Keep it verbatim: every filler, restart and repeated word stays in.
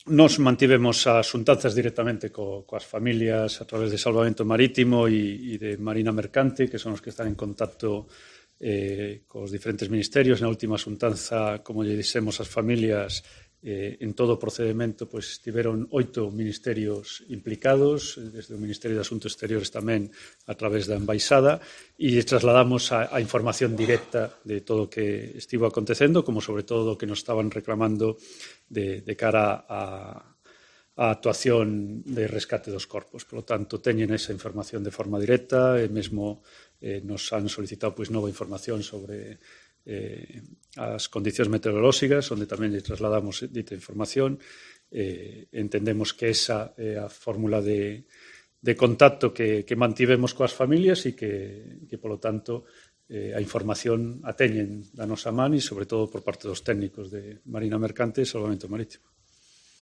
Nos mantivemos as xuntanzas directamente co, coas familias a través de Salvamento Marítimo e, e de Marina Mercante, que son os que están en contacto eh, cos diferentes ministerios. Na última xuntanza, como lle dixemos ás familias, eh, en todo o procedimento pois, tiveron oito ministerios implicados, desde o Ministerio de Asuntos Exteriores tamén a través da Embaixada, e trasladamos a, a información directa de todo o que estivo acontecendo, como sobre todo o que nos estaban reclamando de, de cara a, a actuación de rescate dos corpos. Por lo tanto, teñen esa información de forma directa e mesmo eh, nos han solicitado pois, nova información sobre eh, as condicións meteorolóxicas, onde tamén lle trasladamos dita información. Eh, entendemos que esa é a fórmula de, de contacto que, que mantivemos coas familias e que, que polo tanto, eh, a información a teñen da nosa man e, sobre todo, por parte dos técnicos de Marina Mercante e Salvamento Marítimo.